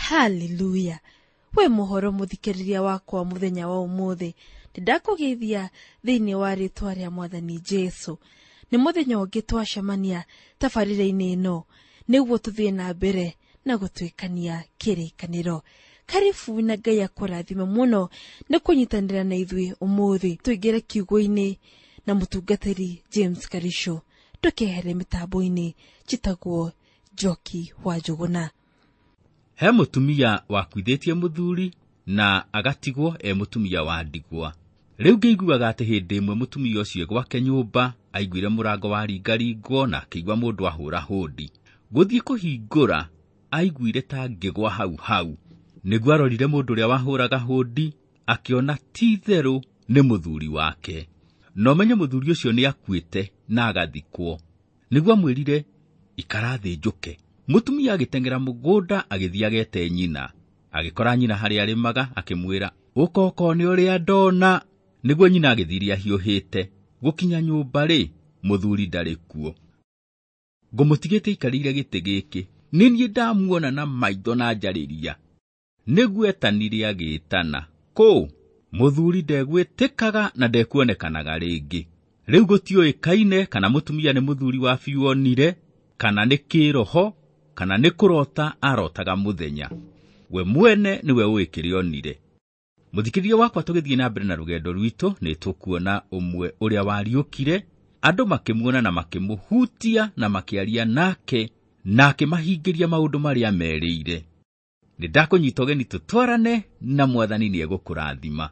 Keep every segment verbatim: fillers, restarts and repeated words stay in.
Haleluya! We muhoro muthikiriria wakwa muthenya wa umuthi, ndakũgeithia thĩinĩ wa rĩtwa rĩa Mwathani Jesu. Nĩ mũthenya ũngĩ twacemania tabarĩra-inĩ ĩno nĩguo tũthiĩ na mbere na gũtuĩkania kĩrĩkanĩro. Karibu na Ngai akũrathime mũno nĩ kũnyitanĩra na ithuĩ ũmũthĩ. Tũingĩre kiugo-inĩ na mũtungatĩri James Karisho. Ndũkehere mĩtambo-inĩ, njĩtagwo Njoki wa Njũgũna. He mũtumia wakuithĩtie mũthuri na agatigwo e mũtumia wa ndigwa. Rĩu ngĩiguaga atĩ hĩndĩ ĩmwe mũtumia ũcio gwake nyũmba aiguire mũrango waringaringwo na akĩigua mũndũ ahũra hũndi. Gũthiĩ kũhingũra aiguire ta ngĩgwa hau hau. Nĩguo arorire mũndũ ũrĩa wahũraga hũndi akĩona ti itherũ nĩ mũthuri wake. Na ũmenye mũthuri ũcio nĩ akuĩte na agathikwo. Nĩguo amwĩrire ikara thĩ njũke. Mũtumia agĩteng'era mũgũnda agĩthiĩ agete nyina. Agĩkora nyina harĩa arĩmaga akĩmwĩra ũka ũkone ũrĩa ndona. Nĩguo nyina agĩthiire ahiũhĩte. Gũkinya nyũmba rĩ, mũthuri ndarĩ kuo. Ngũmũtigĩte aikarĩire gĩtĩ gĩkĩ, nĩ niĩ ndamuona na maitho na njarĩria. Nĩguo etanire agĩtana, kũ mũthuri ndegwĩtĩkaga na ndekuonekanaga rĩngĩ. Rĩu gũtiũĩkaine kana mũtumia nĩ mũthuri wa biũ onire, kana nĩ kĩroho, kana nĩ kũrota arotaga mũthenya. We mwene nĩwe ũĩ kĩrĩa onire. Mũthikĩrĩria wakwa, tũgĩthiĩ na mbere na rũgendo rwitũ nĩ tũkuona ũmwe ũrĩa wariũkire, andũ makĩmuona na makĩmũhutia na makĩaria nake na akĩmahingĩria maũndũ marĩa merĩire. Nĩ ndakũnyita ũgeni tũtwarane na Mwathani nĩ egũkũrathima.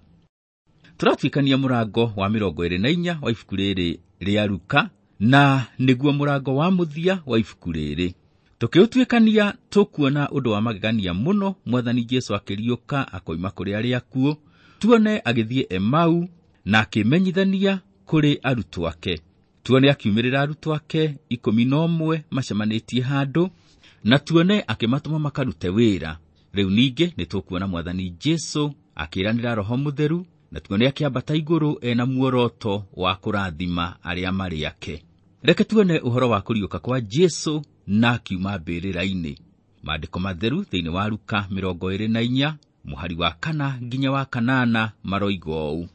Tũratuĩkania mũrango wa mĩrongo ĩrĩ na inya wa ibuku rĩrĩ rĩa Luka, na nĩguo mũrango wa mũthia wa ibuku rĩrĩ. Tũkĩũtuĩkania tũkuona ũndũ wa magegania mũno, Mwathani Jesu akĩriũka akoima kũrĩ arĩa akuũ, tuone agĩthiĩ Emau na akĩmenyithania kũrĩ arutwo ake. Tuone akiumĩrĩra arutwo ake ikũmi na ũmwe macemanĩtie handũ, na tuone akĩmatũma makarute wĩra. Rĩu ningĩ nĩ tũkuona Mwathani Jesu akĩĩranĩra Roho Mũtheru, na tuone akĩambata igũrũ ena muoroto wa kũrathima arĩa marĩ ake. Reke tuone ũhoro wa kũriũka kwa Jesu na akiuma mbĩrĩra-inĩ. Maandĩko matheru thĩinĩ wa Luka mĩrongo ĩrĩ na inya mũhari wa kana nginya wa kanana maroiga ũũ: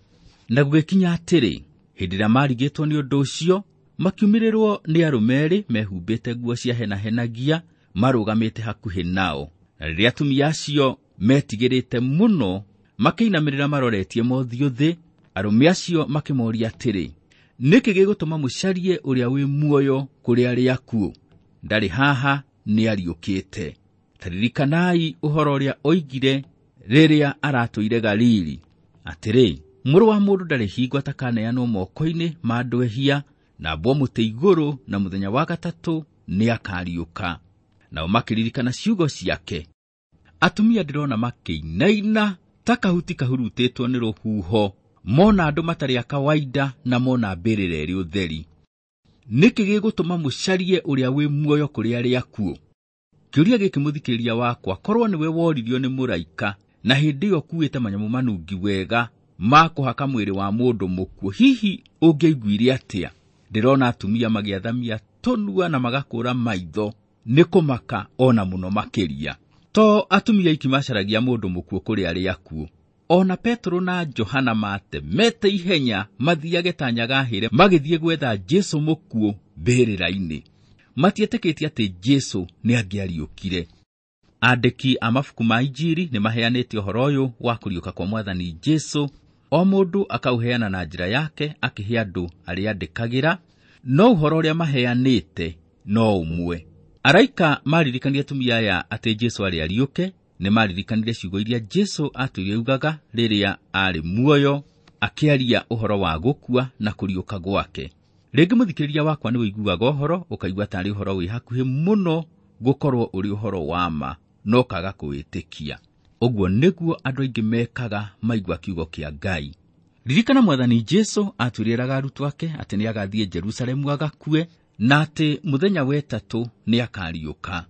na gũgĩkinya atĩrĩ, hĩndĩ ĩrĩa marigĩtwo nĩ ũndũ ũcio, makiumĩrĩrwo nĩ arũme erĩ mehumbĩte nguo cia henahenagia marũgamĩte hakuhĩ nao. Na rĩrĩa atumia acio metigĩrĩte mũno makĩinamĩrĩra maroretie mothiũ thĩ, arũme acio makĩmoria atĩrĩ, nĩkĩ gĩgũtũma mũcarie ũrĩa wĩ muoyo kũrĩ arĩa akuũ? Ndarĩ haha, nĩariũkĩte. Ta ririkanai ũhoro ũrĩa oigire rĩrĩa aratũire Galili, atĩrĩ, mũrũ wa mũndũ ndarĩ hingo atakaneanwo moko-inĩ ma andũ ehia, na ambwo mũtĩ igũrũ, na mũthenya wa gatatũ nĩakariũka. Nao makĩririkana ciugo ciake. Atumia ndĩrona makĩinaina ta kahuti kahurutĩtwo nĩ rũhuho, mona andũ matarĩ a kawaida na mona mbĩrĩra ĩrĩ ũtheri. Nĩkĩ gĩgũtũma mũcarie ũrĩa wĩ muoyo kũrĩ arĩa akuũ? Kĩũria gĩkĩ mũthikĩrĩria wakwa, korwo nĩwe woririo nĩ mũraika na hĩndĩ ĩyo ũkuĩte manyamũ manungi wega ma kũhaka mwĩrĩ wa mũndũ mũkuũ, hihi ũngĩaiguire atĩa? Ndĩrona atumia magĩathamia tũnua na magakũra maitho nĩ kũmaka ona mũno makĩria. To atumia aiki macaragia mũndũ mũkuũ kũrĩ arĩa akuũ. Ona Petero na Johana matemete ihenya mathiage ta nyagahĩre magĩthiĩ gwetha Jesu mũkuũ mbĩrĩra-inĩ. Matietĩkĩtie atĩ Jesu nĩangĩariũkire. Andĩki a mabuku ma Injiri nĩmaheanĩte ũhoro ũyũ wa kũriũka kwa Mwathani Jesu, o mũndũ akaũheana na njĩra yake akĩhe andũ arĩa andĩkagĩra, no ũhoro ũrĩa maheanĩte no ũmwe. Araika maririkania atumia aya atĩ Jesu arĩ ariũke, nĩmaririkanire ciugo iria Jesu atũire augaga rĩrĩa arĩ muoyo, akĩaria ũhoro wa gũkua na kũriũka gwake. Rĩngĩ mũthikĩrĩria wakwa nĩ ũiguaga ũhoro ũkaigua tarĩ ũhoro wĩ hakuhĩ mũno gũkorwo ũrĩ ũhoro wa ma, no kaga kũwĩtĩkia. Ũguo nĩguo andũ aingĩ mekaga maigua kiugo kĩa Ngai. Ririkana Mwathani Jesu atwĩrĩraga arutwo ake atĩ nĩagathiĩ Jerusalemu agakue, na atĩ mũthenya wa ĩtatũ nĩakariũka.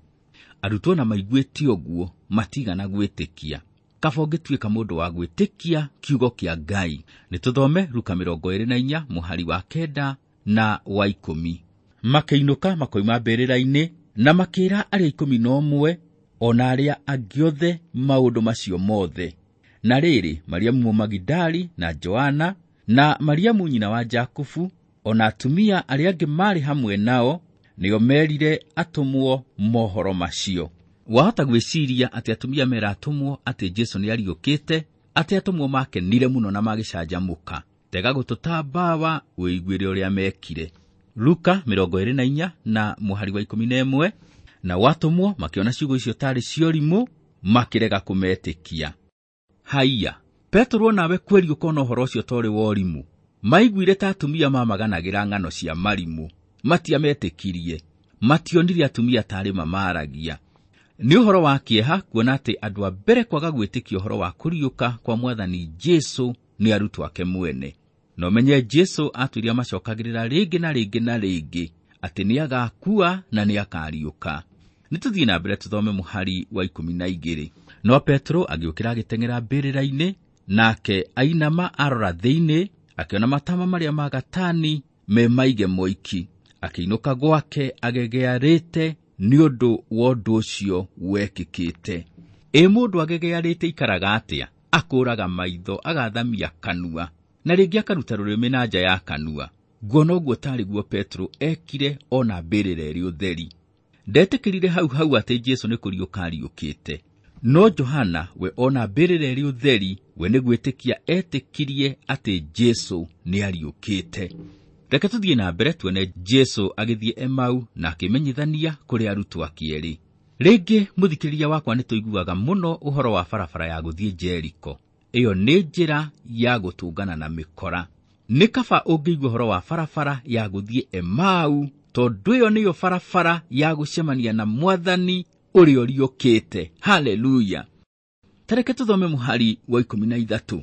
Arutwo na maiguĩte ũguo matigana gwĩtĩkia. Kaba ũngĩtuĩka mũndũ wa gwĩtĩkia kiugo kĩa Ngai. Nĩtũthome Luka mĩrongo ĩrĩ na inya mũhari wa kenda na wa ikũmi. Makĩinũka makoima mbĩrĩra-inĩ na makĩĩra arĩa ikũmi na ũmwe ona arĩa angĩ othe maũndũ macio mothe. Na rĩrĩ, Mariamu Mũmagidali na Joana na Mariamu nyina wa Jakubu ona atumia arĩa angĩ maarĩ hamwe nao nĩo merire atũmwo mohoro macio. Wahota gwĩciria atĩ atumia mera atũmwo atĩ Jesu nĩ ariũkĩte, atĩ atũmwo makenire mũno na magĩcanjamũka. Tega gũtũ mbawa wĩiguĩre ũrĩa mekire. Luka mĩrongo ĩrĩ na inya na mũhari wa ikũmi na ĩmwe. Na watũmwo makĩona ciugo icio tarĩ ciorimũ makĩrega kũmetĩkia. Haiya, Petero nawe kweri ũkona ũhoro ũcio torĩ worimũ. Maiguire ta atumia mamaganagĩra ng'ano cia marimũ, matiametĩkirie, mationire atumia tarĩ mamaragia. Nĩ ũhoro wa kĩeha kuona atĩ andũ a mbere kwaga gwĩtĩkia ũhoro wa kũriũka kwa Mwathani Jesu nĩ arutwo ake mwene. No menye Jesu atwĩrire macokagĩrĩra rĩngĩ na rĩngĩ na rĩngĩ atĩ nĩagakua na nĩakariũka. Nĩtũthiĩ na mbere tũthome mũhari wa ikũmi na igĩrĩ. No Petero agĩũkĩra agĩteng'era mbĩrĩra-inĩ, nake ainama arora thĩinĩ, akĩona matama marĩa ma gatani me maige moiki. Akĩinũka gwake agegearĩte nĩ ũndũ wa ũndũ ũcio wekĩkĩte. Ĩ mũndũ agegearĩte ikaraga atĩa? Akũraga maitho, agathamia kanua, na rĩngĩ akaruta rũrĩmĩ na nja ya kanua. Nguona ũguo tarĩ guo Petero ekire ona mbĩrĩra ĩrĩ ũtheri. Ndetĩkĩrire hau hau atĩ Jesu nĩ kũriũka ariũkĩte. No Johana we ona mbĩrĩra ĩrĩ ũtheri, we nĩ gwĩtĩkia etĩkirie atĩ Jesu nĩ ariũkĩte. Reke tũthiĩ na mbere tuone Jesu agĩthiĩ Emau na akĩmenyithania kũrĩ arutwo ake erĩ. Rĩngĩ mũthikĩrĩria wakwa nĩ tũiguaga mũno ũhoro wa barabara ya gũthiĩ Jeriko. Ĩyo nĩ njĩra ya gũtũngana na mĩkora. Nĩ kaba ũngĩigua ũhoro wa barabara ya gũthiĩ Emau, tondũ ĩyo nĩyo barabara ya gũcemania na Mwathani ũrĩa ũriũkĩte. Haleluya! Tareke tũthome mũhari wa ikũmi na ithatũ.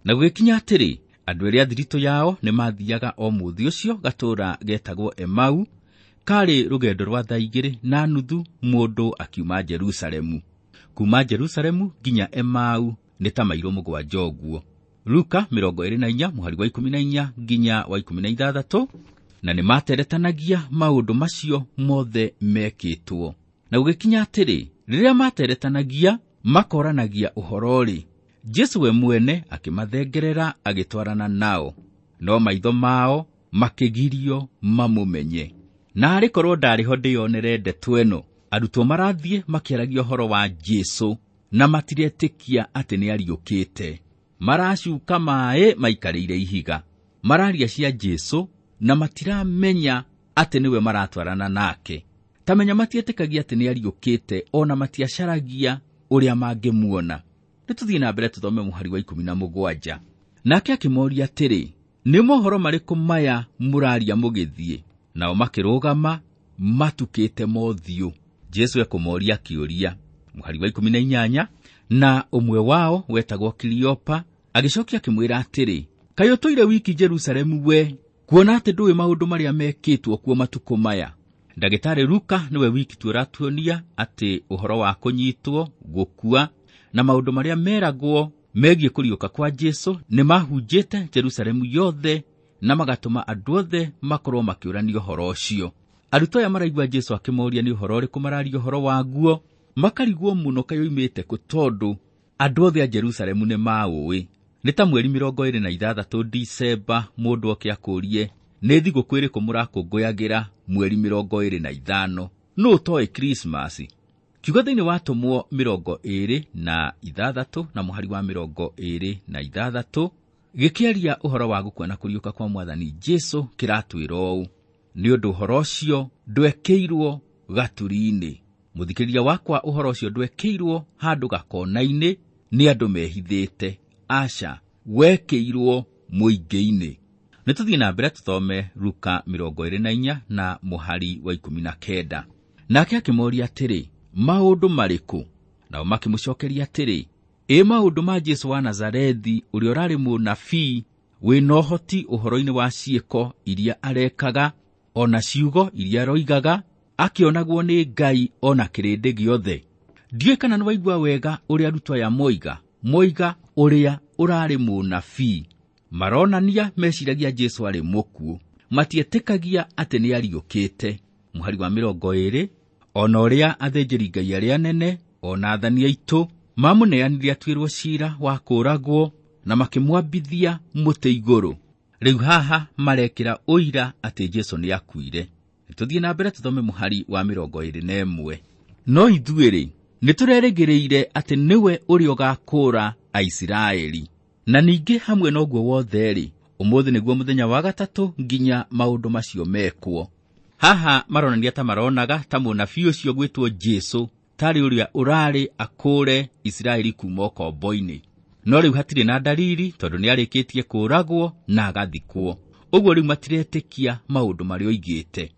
Na gũgĩkinya atĩrĩ, andũ arĩa thiritũ yao nĩmathiaga o mũthĩ ũcio gatũũra getagwo Emau, karĩ rũgendo rwa thaa igĩrĩ na nuthu mũndũ akiuma Jerusalemu. Kuma Jerusalemu nginya Emau nĩ ta mairo mũgwanja ũguo. Luka mĩrongo ĩrĩ na inya mũhari wa ikũmi na inya nginya wa ikũmi na ithathatũ. Na nĩmateretanagia maũndũ macio mothe mekĩtwo. Na gũgĩkinya atĩrĩ, rĩrĩa materetanagia makoranagia ũhoro-rĩ, Jesu we mwene akĩmathengerera agĩtwarana nao, no maitho mao makĩgirio mamũmenye. Na arĩ korwo ndarĩ ho ndĩyonere ndeto ĩno, arutwo marathiĩ makĩaragia ũhoro wa Jesu na matiretĩkia atĩ nĩariũkĩte. Maracuka maĩ maikarĩire ihiga, mararia cia Jesu na matiramenya atĩ nĩwe maratwarana nake. Tamenya matietĩkagia atĩ nĩariũkĩte, ona matiacaragia ũrĩa mangĩmuona. Nĩtũthiĩ na mbere tũthome mũhari wa ikũmi na mũgwanja. Nake akĩmoria atĩrĩ, nĩ mohoro marĩkũ maya mũraria mũgĩthiĩ? Nao makĩrũgama matukĩte mothiũ. Jesu ekũmoria kĩũria. Mũhari wa ikũmi na inyanya. Na ũmwe wao wetagwo Kiliopa agĩcokia akĩmwĩra atĩrĩ, kaĩ ũtũire wiki Jerusalemu we, kuona atĩ ndũĩ maũndũ marĩa mekĩtwo kuo matukũ maya? Ndagĩtarĩ Luka nĩwe wiki tu ũratuonia atĩ ũhoro wa kũnyitwo, gũkua na maũndũ marĩa meragwo megiĩ kũriũka kwa Jesu nĩmahunjĩte Jerusalemu yothe na magatũma andũ othe makorwo makĩũrania ũhoro ũcio. Arutwo aya maraigua Jesu akĩmoria nĩ ũhoro ũrĩkũ mararia ũhoro waguo, makarigwo mũno kaĩ oimĩte kũ, tondũ andũ othe a Jerusalemu nĩmaũĩ. Nĩ ta mweri mĩrongo ĩrĩ na ithathatũ Disemba mũndũ oke akũrie nĩ thigũkũ ĩrĩkũ mũrakũngũyagĩra mweri mĩrongo ĩrĩ na ithano, nũ ũtoĩ Krismasi? Kiugo thĩinĩ wa Atũmwo mĩrongo ĩrĩ na ithathatũ na mũhari wa mĩrongo ĩrĩ na ithathatũ gĩkĩaria ũhoro wa gũkua na kũriũka kwa Mwathani Jesu kĩratwĩra ũũ, nĩ ũndũ ũhoro ũcio ndwekĩirwo gaturi-inĩ. Mũthikĩrĩria wakwa, ũhoro ũcio ndwekĩirwo handũ gakona-inĩ nĩ andũ mehithĩte, aca, wekĩirwo mũingĩ-inĩ. Nĩtũthiĩ na mbere tũthome Luka mĩrongo ĩrĩ na inya na mũhari wa ikũmi na kenda. Nake akĩmoria atĩrĩ, maũndũ marĩkũ? Nao makĩmũcokeria atĩrĩ, ĩ maũndũ ma Jesu wa Nazarethi, ũrĩa ũrarĩ mũnabii wĩna ũhoti ũhoro-inĩ wa ciĩko iria arekaga ona ciugo iria aroigaga, akĩonagwo nĩ Ngai ona kĩrĩndĩ gĩothe. Ndiũĩ kana nĩwaigua wega ũrĩa arutwo aya moiga, moiga ũrĩa ũrarĩ mũnabii. Maronania meciragia Jesu arĩ mũkuũ, matietĩkagia atĩ nĩariũkĩte. Mũhari wa mĩrongo ĩrĩ, ona ũrĩa athĩnjĩri Ngai arĩa anene Ona athani aitũ mamũneanire atuĩrwo ciira wa kũũragwo na makĩmwambithia mũtĩ igũrũ. Rĩu haha marekĩra ũira atĩ Jesũ nĩakuire. Tũthiĩ na mbere tũthome mũhari wa mĩrongo ĩĩrĩ na ĩmwe. No ithuĩ-rĩ, nĩtũrerĩgĩrĩire atĩ nĩwe ũrĩa ũgakũũra Aisiraeli. Na ningĩ hamwe na ũguo wothe-rĩ, ũmũthĩ nĩguo mũthenya wa gatatũ nginya maũndũ macio mekwo. Haha maronania ta maronaga ta mũnabii ũcio gwĩtwo Jesũ tarĩ ũrĩa ũrarĩ akũũre Isiraeli kuuma ũkombo-inĩ. No rĩu hatirĩ na dalili tondũ nĩarĩkĩtie kũũragwo na agathikwo. Ũguo rĩu matiretĩkia maũndũ marĩa oigĩte.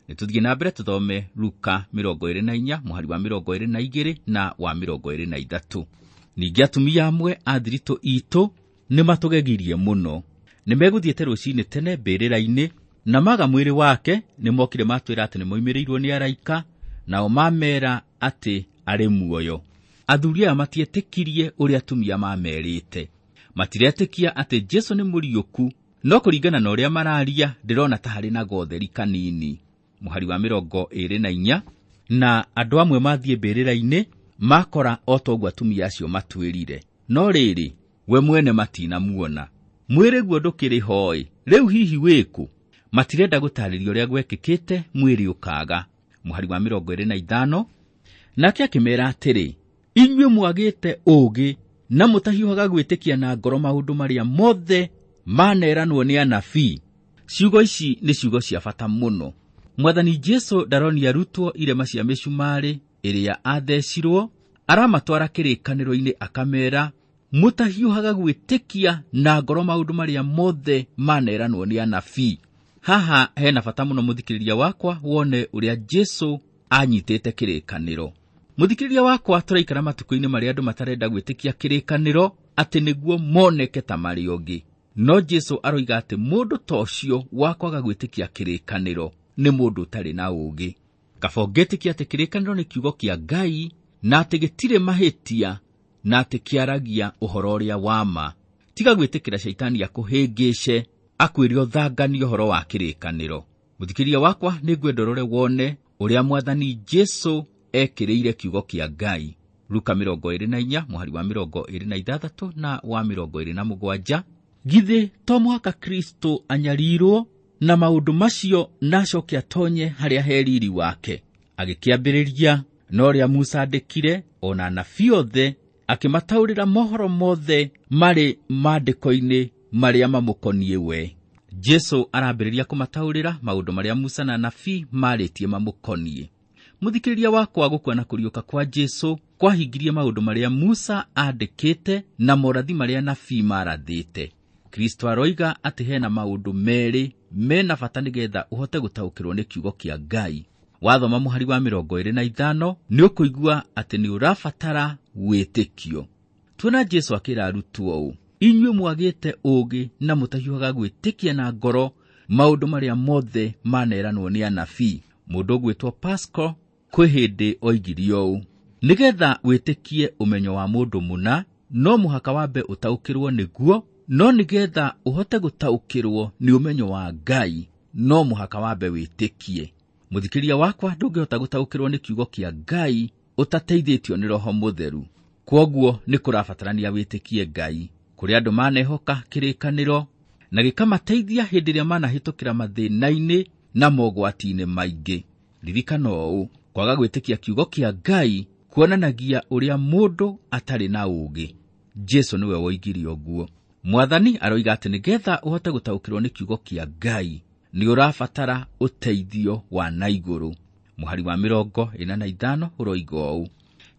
Nĩtũthiĩ na mbere tũthome Luka mĩrongo ĩĩrĩ na inya mũhari wa mĩrongo ĩĩrĩ na igĩrĩ na wa mĩrongo ĩĩrĩ na ithatũ. Ningĩ atumia amwe a thiritũ itũ nĩmatũgegirie mũno. Nĩmegũthiĩte rũcinĩ tene mbĩrĩra-inĩ na maga mwĩrĩ wake, nĩmokire matwĩra atĩ nĩmoimĩrĩirwo nĩ araika, nao mamera atĩ arĩ muoyo. Athuri aya matietĩkirie ũrĩa atumia mamerĩte. Matiretĩkia atĩ Jesũ nĩ mũriũku, no kũringana na ũrĩa mararia ndĩrona ta harĩ na gotheri kanini. Mũhari wa mĩrongo ĩĩrĩ na inya, na andũ amwe mathiĩ mbĩrĩra-inĩ makora o ta ũguo atumia acio matwĩrire, no rĩrĩ we mwene matinamuona. Mwĩrĩ guo ndũkĩrĩ hoe, rĩu hihi wĩkũ? Matirenda gũtarĩria ũrĩa gwekĩkĩte mwĩrĩ ũkaga. Mũhari wa mĩrongo ĩĩrĩ na ithano, nake akĩmera atĩrĩ, inyuĩ mwagĩte ũũgĩ na mũtahiũhaga gwĩtĩkia na ngoro maũndũ marĩa mothe maneranwo nĩ anabii. Ciugo ici nĩ ciugo cia bata mũno. Mwathani Jesũ ndaronia arutwo irema cia mĩcumarĩ ĩrĩa athecirwo, aramatwara kĩrĩkanĩro-inĩ akamera mũtahiũhaga gwĩtĩkia na ngoro maũndũ marĩa mothe maneranwo nĩ anabii. Haha hena bata mũno mũthikĩrĩria wakwa wone ũrĩa Jesũ anyitĩte kĩrĩkanĩro. Mũthikĩrĩria wakwa, tũraikara matukũ-inĩ marĩa andũ matarenda gwĩtĩkia kĩrĩkanĩro atĩ nĩguo moneke ta marĩ ũngĩ. No Jesũ aroiga atĩ mũndũ ta ũcio wa kwaga gwĩtĩkia kĩrĩkanĩro nĩ mũndũ ũtarĩ na ũũgĩ. Kaba ũngĩtĩkia atĩ kĩrĩkanĩro nĩ kiugo kĩa Ngai na atĩ gĩtirĩ mahĩtia na atĩ kĩaragia ũhoro ũrĩa wa ma. Tiga gwĩtĩkĩra caitani akũhĩngĩce akwĩre ũthanganie ũhoro wa kĩrĩkanĩro. Mũthikĩrĩria wakwa, nĩngwenda ũrore wone ũrĩa Mwathani Jesũ ekĩrĩire kiugo kĩa Ngai. Luka mĩrongo ĩĩrĩ na inya mũhari wa mĩrongo ĩĩrĩ na ithathatũ na wa mĩrongo ĩĩrĩ na mũgwanja. Githĩ to mũhaka Kristo anyarirwo na maũndũ macio na acoke atonye harĩa he riri wake? Agĩkĩambĩrĩria na ũrĩa Musa andĩkire ona anabii othe, akĩmataũrĩra mohoro mothe marĩ maandĩko-inĩ marĩa mamũkoniĩ we. Jesũ arambĩrĩria kũmataũrĩra maũndũ marĩa Musa na anabii marĩtie mamũkoniĩ. Mũthikĩrĩria wakwa, gũkua na kũriũka kwa Jesũ kwahingirie maũndũ marĩa Musa andĩkĩte na morathi marĩa anabii marathĩte. Kristo aroiga atĩ hena maũndũ merĩ mena bata nĩgetha ũhote gũtaũkĩrwo nĩ kiugo kĩa Ngai. Wathoma mũhari wa mĩrongo ĩĩrĩ na ithano nĩ ũkũigua atĩ nĩ ũrabatara wĩtĩkio. Tuona Jesũ akĩra arutwo ũũ, inyuĩ mwagĩte ũũgĩ na mũtahiũhaga gwĩtĩkia na ngoro maũndũ marĩa mothe maneranwo nĩ anabii. Mũndũ ũgwĩtwo Pascal kwĩ hĩndĩ oigire ũũ, nĩgetha wĩtĩkie ũmenyo wa mũndũ mũna no mũhaka wambe ũtaũkĩrwo nĩguo, no nĩgetha ũhote gũtaũkĩrwo nĩ ũmenyo wa Ngai no mũhaka wambe wĩtĩkie. Mũthikĩrĩria wakwa, ndũngĩhota gũtaũkĩrwo nĩ kiugo kĩa Ngai ũtateithĩtio nĩ Roho Mũtheru. Kwoguo nĩ kũrabatarania wĩtĩkie Ngai. Kũrĩ andũ manehoka kĩrĩkanĩro na gĩkamateithia hĩndĩ ĩrĩa manahĩtũkĩra mathĩna-inĩ na mogwati-inĩ maingĩ. Ririkana ũũ, kwaga gwĩtĩkia kiugo kĩa Ngai kuonanagia ũrĩa mũndũ atarĩ na ũũgĩ. Jesũ nĩwe woigire ũguo. Mwathani aroiga atĩ nĩgetha ũhote gũtaũkĩrwo nĩ kiugo kĩa Ngai nĩ ũrabatara ũteithio wa na igũrũ. Mũhari wa mĩrongo ĩna na ithano ũroiga ũũ,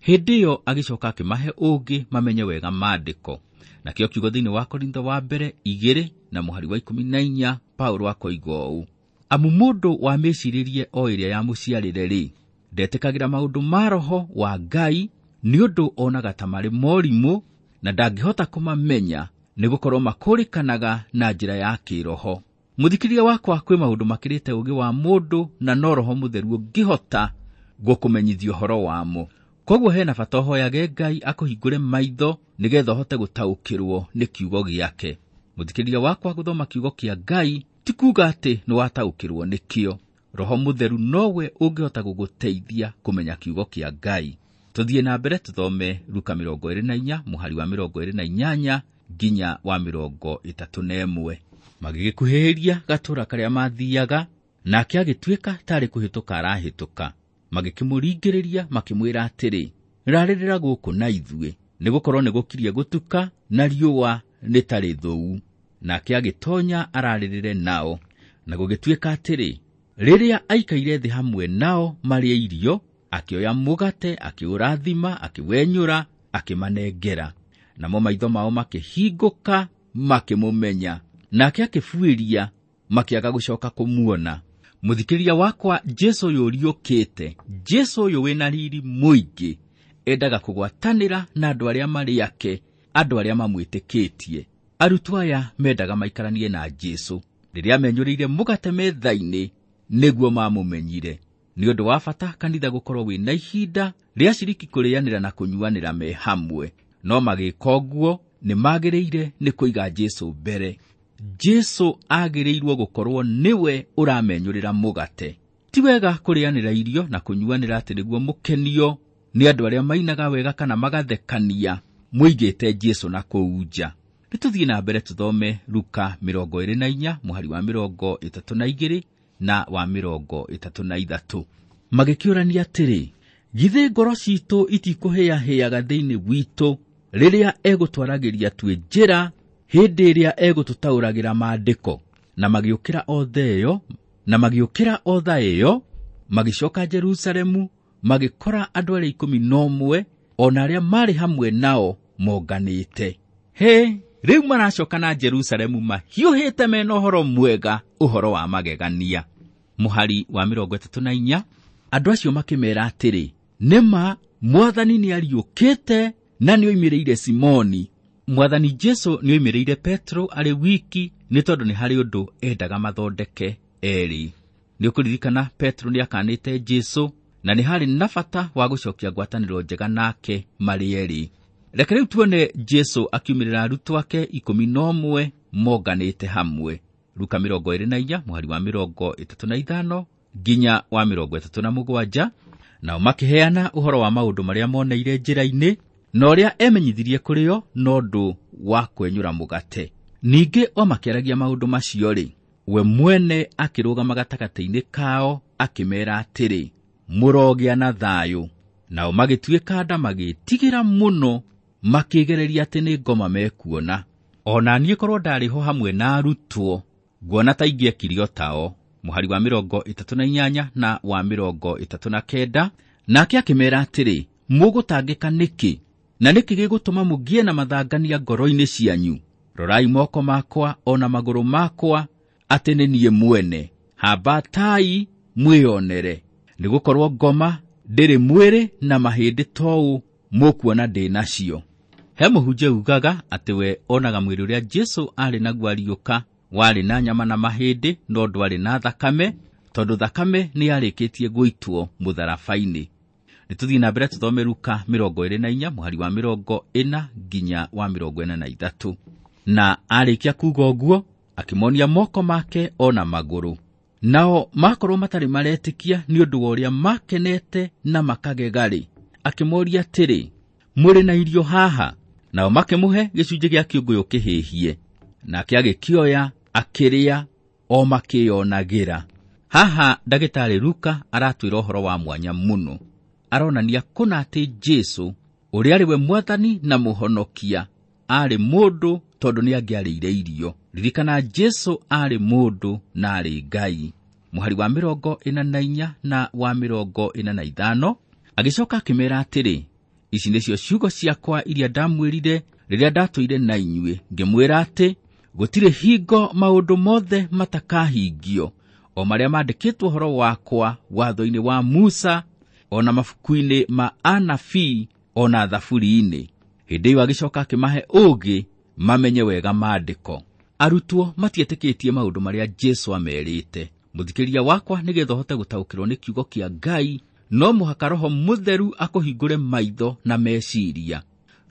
hĩndĩ ĩyo agĩcoka akĩmahe ũũgĩ mamenye wega maandĩko. Nakĩo kiugo thĩinĩ wa Korintho wa mbere igĩrĩ na mũhari wa ikũmi na inya Paulo akoiga ũũ, amu mũndũ wa mĩcirĩrie o ĩrĩa yamũciarĩre rĩ, ndetĩkagĩra maũndũ ma Roho wa Ngai nĩ ũndũ onaga ta marĩ morimũ na ndangĩhota kũmamenya nĩgũkorwo makũrĩkanaga na njĩra ya kĩroho. Mũthikĩrĩria wakwa, kwĩ maũndũ makĩrĩte ũũgĩ wa mũndũ na no Roho Mũtheru ũngĩhota gũkũmenyithia ũhoro wamo. Koguo hena bata ũhoyage Ngai akũhingũre maitho nĩgetha ũhote gũtaũkĩrwo nĩ kiugo gĩake. Mũthikĩrĩria wakwa, gũthoma kiugo kĩa Ngai ti kuuga atĩ nĩwataũkĩrwo nĩkĩo. Roho Mũtheru nowe ũngĩhota gũgũteithia kũmenya kiugo kĩa Ngai. Tũthiĩ na mbere tũthome Luka mĩrongo ĩrĩ na inya mũhari wa mĩrongo ĩrĩ na inyanya nginya wa mĩrongo ĩtatũ na ĩmwe. Magĩgĩkuhĩhĩria gatũũra karĩa maathiaga, nake agĩtuĩka tarĩ kũhĩtũka arahĩtũka. Magĩkĩmũringĩrĩria makĩmwĩra atĩrĩ, rarĩrĩra gũkũ na ithuĩ, nĩgũkorwo nĩgũkirie gũtuka na riũa nĩ ta rĩthũu. Nake agĩtonya ararĩrĩre nao. Na gũgĩtuĩka atĩrĩ, rĩrĩa aikaire thĩ hamwe nao marĩe irio, akĩoya mũgate, akĩũrathima, akĩwenyũra, akĩmanengera. Namo maitho mao makĩhingũka, makĩmũmenya. Nake akĩbuĩria, makĩaga gũcoka kũmuona. Mũthikĩrĩria wakwa, Jesũ ũyũ ũriũkĩte, Jesũ ũyũ wĩna riri mũingĩ, endaga kũgwatanĩra na andũ arĩa marĩ ake, andũ arĩa mamwĩtĩkĩtie. Arutwo aya mendaga maikaranie na Jesũ. Rĩrĩa menyũrĩire mũgate metha-inĩ, nĩguo mamũmenyire. Nĩ ũndũ wa bata kanitha gũkorwo wĩna ihinda rĩa aciriki kũrĩanĩra na kũnyuanĩra me hamwe. No magĩka ũguo nĩ magĩrĩire nĩ kũiga Jesũ mbere. Jesũ agĩrĩirwo gũkorwo nĩwe ũramenyũrĩra mũgate. Ti wega kũrĩanĩra irio na kũnyuanĩra atĩ nĩguo mũkenio nĩ andũ arĩa mainaga wega kana magathekania, mũigĩte Jesũ na kũu nja. Nĩ tũthiĩ na mbere tũthome Luka mĩrongo ĩrĩ na inya mũhari wa mĩrongo ĩtatũ na igĩrĩ na wa mĩrongo ĩtatũ na ithatũ. Magĩkĩũrania atĩrĩ, githĩ ngoro citũ itikũhĩahĩaga thĩinĩ witũ rĩrĩa egũtwaragĩria twĩ njĩra, hĩndĩ ĩrĩa egũtũtaũragĩra maandĩko? Na magĩũkĩra othe ĩyo, na magĩũkĩra o thaa ĩyo, magĩcoka Jerusalemu, magĩkora andũ arĩa ikũmi na ũmwe o na arĩa marĩ hamwe nao monganĩte. He, rĩu maracoka na Jerusalemu mahiũhĩte mena ũhoro mwega, ũhoro wa magegania. Mũhari wa mĩrongo ĩtatũ na inya, andũ acio makĩmera atĩrĩ, nĩma Mwathani nĩariũkĩte na nĩoimĩrĩire Simoni. Mwathani Jesũ nĩoimĩrĩire Petro arĩ wiki, nĩ tondũ nĩ harĩ ũndũ endaga mathondeke erĩ. Nĩũkũririkana Petro nĩakanĩte Jesũ na nĩ harĩ na bata wa gũcokia ngwatanĩro njega nake marĩ erĩ. Reke rĩu tuone Jesũ akiumĩrĩra arutwo ake ikũmi na ũmwe monganĩte hamwe. Luka mĩrongo ĩrĩ na inya mũhari wa mĩrongo ĩtatũ na ithano nginya wa mĩrongo ĩtatũ na mũgwanja. Nao makĩheana ũhoro wa maũndũ marĩa moneire njĩra-inĩ na ũrĩa emenyithirie kũrĩ o na ũndũ wa kwenyũra mũgate. Ningĩ o makĩaragia maũndũ macio-rĩ, we mwene akĩrũgama gatagatĩ-inĩ kao akĩmeera atĩrĩ, mũrogĩa na thayũ. Nao magĩtuĩka nda magĩtigĩra mũno, makĩgereria atĩ nĩ ngoma mekuona. O na niĩ korwo ndarĩ ho hamwe na arutwo, nguona ta ingĩekire o tao. Mũhari wa mĩrongo ĩtatũ na inyanya na wa mĩrongo ĩtatũ na kenda, nake akĩmeera atĩrĩ, mũgũtangĩka nĩkĩ? Na nĩkĩ gĩgũtũma mũgĩe na mathangania ngoro-inĩ cianyu? Rorai moko makwa o na magũrũ makwa, atĩ nĩ niĩ mwene. Hambatai mwĩonere, nĩgũkorwo ngoma ndĩrĩ mwĩrĩ na mahĩndĩ tou mũkuona ndĩ nacio. He mũhunjia ugaga atĩ we onaga mwĩrĩ ũrĩa Jesũ arĩ naguo ariũka warĩ na nyama na mahĩndĩ, no ndwarĩ na thakame, tondũ thakame nĩ yarĩkĩtie gũitwo mũtharaba-inĩ. Nĩ tũthiĩ na mbere tũthome Luka mĩrongo ĩrĩ na inya mũhari wa mĩrongo ĩna nginya wa mĩrongo ĩna na ithatũ. Na arĩkia kuuga ũguo, akĩmonia moko make o na magũrũ. Nao makorwo matarĩ maretĩkia nĩ ũndũ wa ũrĩa makenete na makagega-rĩ, akĩmoria atĩrĩ, mũrĩ na irio haha? Nao makĩmũhe gĩcunjĩ gĩa kĩũngũyũ kĩhĩhie. Nake agĩkĩoya, akĩrĩa, o makĩyonagĩra. Haha ndagĩtarĩ Luka aratwĩra ũhoro wa mwanya mũno. Aronania kũna atĩ Jesũ, ũrĩa arĩ we Mwathani na Mũhonokia, arĩ mũndũ tondũ nĩangĩarĩire irio. Ririkana Jesũ arĩ mũndũ na arĩ Ngai. Mũhari wa mĩrongo ĩna na inya na wa mĩrongo ĩna na ithano, agĩcoka akĩmeera atĩrĩ, ici nĩcio ciugo ciakwa iria ndamwĩrire rĩrĩa ndatũire na inyuĩ, ngĩmwĩra atĩ gũtirĩ hingo maũndũ mothe matakahingio, o marĩa maandĩkĩtwo ũhoro wakwa watho-inĩ wa Musa, o na mabuku-inĩ ma anabii, o na thaburi-inĩ. Hĩndĩ ĩyo agĩcoka akĩmahe ũũgĩ mamenye wega maandĩko. Arutwo matietĩkĩtie maũndũ marĩa Jesũ amerĩte. Mũthikĩrĩria wakwa, nĩgetha ũhote gũtaũkĩrwo nĩ kiugo kĩa Ngai, no mũhaka Roho Mũtheru akũhingũre maitho na meciria.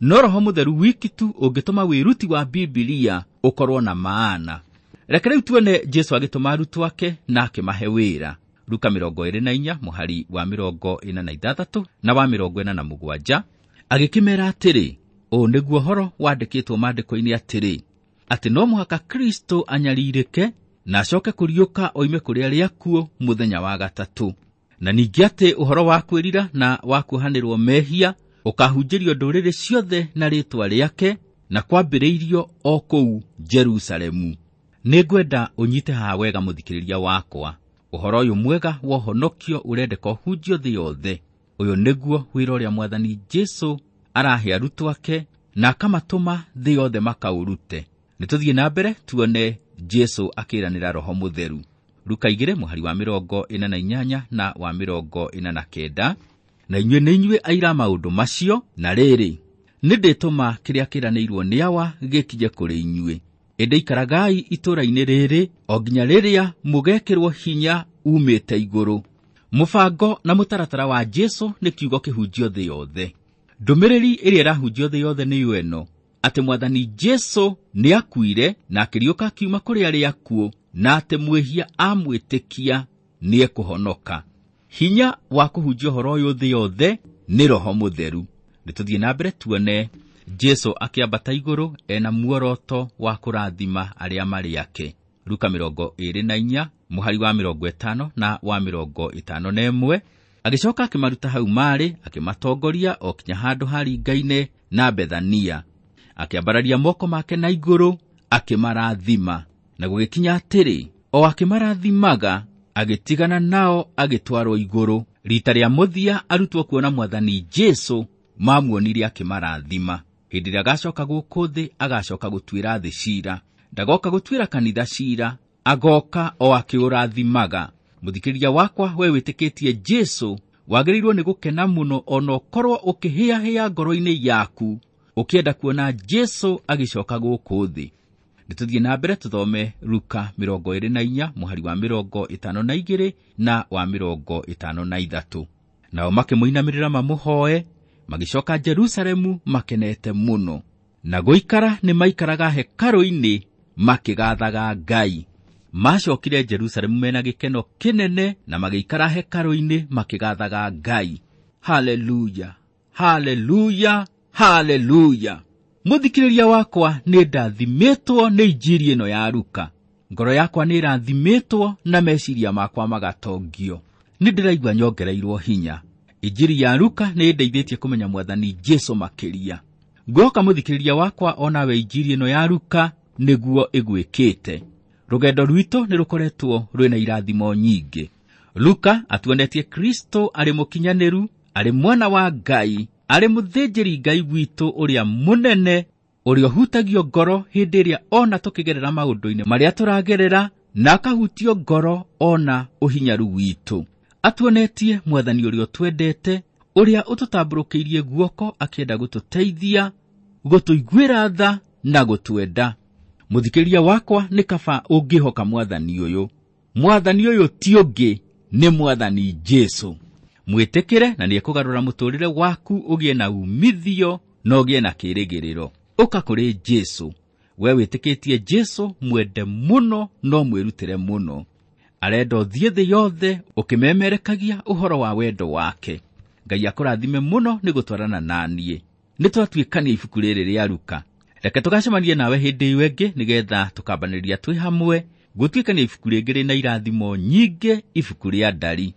No Roho Mũtheru wiki tu ũngĩtũma wĩruti wa Bibilia ũkorwo na maana. Reke rĩu tuone Jesũ agĩtũma arutwo ake na akĩmahe wĩra. Luka mĩrongo ĩrĩ na inya mũhari wa mĩrongo ĩna na ithathatũ na wa mĩrongo ĩna na mũgwanja, agĩkĩmera atĩrĩ, ũũ nĩguo ũhoro wandĩkĩtwo maandĩko-inĩ atĩrĩ, atĩ no mũhaka Kristo anyarirĩke na acoke kũriũka oime kũrĩ arĩa akuũ mũthenya wa gatatũ, na ningĩ atĩ ũhoro wa kwĩrira na wa kuohanĩrwo mehia ũkahunjĩrio ndũrĩrĩ ciothe na rĩĩtwa rĩake, na kwambĩrĩirio o kũu Jerusalemu. Nĩngwenda ũnyite haha wega mũthikĩrĩria wakwa. Ũhoro ũyũ mwega wa ũhonokio ũrendeka ũhunjio thĩ yothe. Ũyũ nĩguo wĩra ũrĩa Mwathani Jesũ arahe arutwo ake na akamatũma thĩ yothe makaũrute. Nĩtũthiĩ na mbere tuone Jesũ akĩranĩra Roho Mũtheru. Luka igĩrĩ mũhari wa mĩrongo ĩna na inyanya na wa mĩrongo ĩna na kenda, na inyuĩ nĩ inyuĩ aira maũndũ macio, na rĩrĩ, nĩndĩtũma kĩrĩa kĩranĩirwo nĩ Awa gĩkinye kũrĩ inyuĩ. Ĩndĩ ikaragai itũũra-inĩ rĩrĩ o nginya rĩrĩa mũgekĩrwo hinya umĩte igũrũ. Mũbango na mũtaratara wa Jesũ nĩ kiugo kĩhunjio thĩ yothe. Ndũmĩrĩri ĩrĩa ĩrahunjio thĩ yothe nĩyo ĩno, atĩ Mwathani Jesũ nĩakuire na akĩriũka akiuma kũrĩ arĩa akuũ, na atĩ mwĩhia amwĩtĩkia nĩekũhonoka. Hinya wa kũhunjia ũhoro ũyũ thĩ yothe nĩ Roho Mũtheru. Nĩtũthiĩ na mbere tuone Jesũ akĩambata igũrũ ena muoroto wa kũrathima arĩa marĩ ake. Luka mĩrongo ĩrĩ na inya mũhari wa mĩrongo ĩtano na wa mĩrongo ĩtano na ĩmwe, agĩcoka akĩmaruta hau marĩ, akĩmatongoria o kinya handũ haringaine na Bethania. Akĩambararia moko make na igũrũ akĩmarathima. Na gũgĩkinya atĩrĩ, o akĩmarathimaga, agĩtigana nao agĩtwarwo igũrũ. Rita rĩa mũthia arutwo kuona Mwathani Jesũ mamuonire akĩmarathima. Hĩndĩ ĩrĩa agacoka gũkũ thĩ, agacoka gũtuĩra thĩ cira. Ndagoka gũtuĩra kanitha cira, agoka o akĩũrathimaga. Mũthikĩrĩria wakwa, we wĩtĩkĩtie Jesũ, wagĩrĩirwo nĩ gũkena mũno ona ũkorwo ũkĩhĩahĩa ngoro-inĩ yaku, ũkĩenda kuona Jesũ agĩcoka gũkũ thĩ. Nĩtũthiĩ na mbere tũthome Luka mĩrongo ĩrĩ na inya mũhari wa mĩrongo ĩtano na igĩrĩ na wa mĩrongo ĩtano na ithatũ. Nao makĩmũinamĩrĩra mamũhoe, magĩcoka Jerusalemu makenete mũno. Na gũikara nĩmaikaraga hekarũ-inĩ makĩgathaga Ngai. Macokire Jerusalemu mena gĩkeno kĩnene na magĩikara hekarũ-inĩ makĩgathaga Ngai. Haleluya, haleluya, haleluya. Mũthikĩrĩria wakwa, nĩ ndathimĩtwo nĩ injiri ĩno ya Luka. Ngoro yakwa nĩ ĩrathimĩtwo na meciria makwa magatongio. Nĩ ndĩraigua nyongereirwo hinya. Injiri ya Luka nĩ ĩndeithĩtie kũmenya Mwathani Jesũ makĩria. Ngũhoka mũthikĩrĩria wakwa onawe injiri ĩno ya Luka nĩguo ĩgwĩkĩte. Rũgendo rwitũ nĩ rũkoretwo rwĩna irathimo nyingĩ. Luka atuonetie Kristo arĩ mũkinyanĩru, arĩ mwana wa Ngai, arĩ mũthĩnjĩri Ngai witũ ũrĩa mũnene, ũrĩa ũhutagio ngoro hĩndĩ ĩrĩa ona tũkĩgerera maũndũ-inĩ marĩa tũragerera, na akahutio ngoro ona ũhinyaru witũ. Atuonetie Mwathani ũrĩa ũtwendete, ũrĩa ũtũtambũrũkĩirie guoko akĩenda gũtũteithia, gũtũiguĩra tha na gũtwenda. Mũthikĩrĩria wakwa, nĩ kaba ũngĩhoka Mwathani ũyũ. Mwathani ũyũ ti ũngĩ, nĩ Mwathani Jesũ. Mwĩtĩkĩre na nĩekũgarũra mũtũrĩre waku ũgĩe na umithio na ũgĩe na kĩĩrĩgĩrĩro. Ũka kũrĩ Jesũ. We wĩtĩkĩtie Jesũ, mwende mũno no mwĩrutĩre mũno. Arenda ũthiĩ thĩ yothe ũkĩmemerekagia ũhoro wa wendo wake. Ngai akũrathime mũno nĩ gũtwarana na niĩ. Nĩtwatuĩkania ibuku rĩrĩ rĩa Luka. Reke tũgacemanie nawe hĩndĩ ĩyo ĩngĩ nĩgetha tũkambanĩria twĩ hamwe gũtuĩkania ibuku rĩngĩ rĩna irathimo nyingĩ, ibuku rĩa Ndari.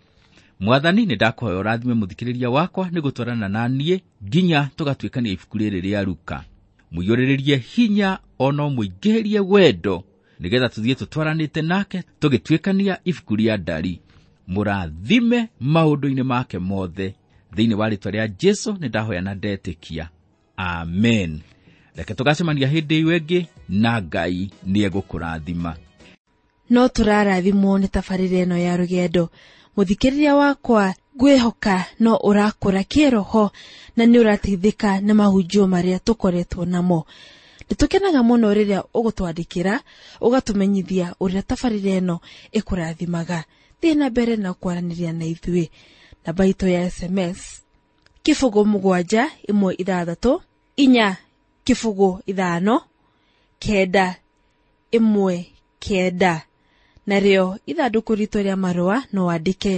Mwathani, nĩndakũhoya ũrathime mũthikĩrĩria wakwa nĩ gũtwarana na niĩ nginya tũgatuĩkania ibuku rĩrĩ rĩa Luka. Mũiyũrĩrĩrie hinya ona ũmũingĩhĩrie wendo nĩgetha tũthiĩ tũtwaranĩte nake tũgĩtuĩkania ibuku rĩa Ndari. Mũrathime maũndũ-inĩ make mothe. Thĩinĩ wa rĩĩtwa rĩa Jesũ nĩndahoya na ndetĩkia. Amen. Reke tũgacemania hĩndĩ ĩyo ĩngĩ, na Ngai nĩegũkũrathima. No tũrarathimwo nĩ tabarĩra ĩno ya rũgendo. Mũthikĩrĩria wakwa, ngwĩhoka no ũrakũra kĩroho na nĩ ũrateithĩka nĩ mahunjio marĩa tũkoretwo namo. Nĩtũkenaga mũno rĩrĩa ũgũtwandĩkĩra, ũgatũmenyithia ũrĩa tabarĩra ĩno ĩkũrathimaga. Thiĩ na mbere na kwaranĩria na ithuĩ. Namba itũ ya S M S kĩbũgũ mũgwanja ĩmwe ithathatũ inya kĩbũgũ ithano kenda ĩmwe kenda. Narĩo ithandũkũ ritũ rĩa marũa no wandĩke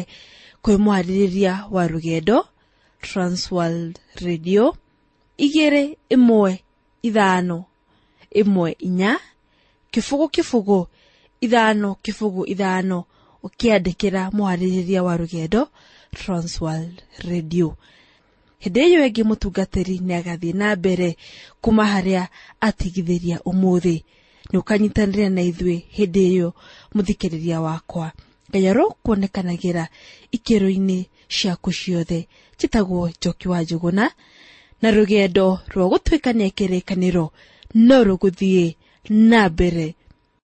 kwĩ mwarĩrĩria wa rũgendo Transworld Radio igĩrĩ ĩmwe ithano ĩmwe inya kĩbũgũ kĩbũgũ ithano kĩbũgũ ithano, ũkĩandĩkĩra mwarĩrĩria wa rũgendo Transworld Radio. Hĩndĩ ĩyo ĩngĩ mũtungatĩri nĩ agathiĩ na mbere kuma harĩa atigithĩria ũmũthĩ. Nĩ ũkanyitanĩra na ithuĩ hĩndĩ ĩyo mũthikĩrĩria wakwa. Ngai arokuonekanagĩra ikĩro-inĩ ciaku ciothe. Njĩtagwo Njoki wa Njũgũna, na rũgendo rwa gũtuĩkania kĩrĩkanĩro no rũgũthiĩ na mbere.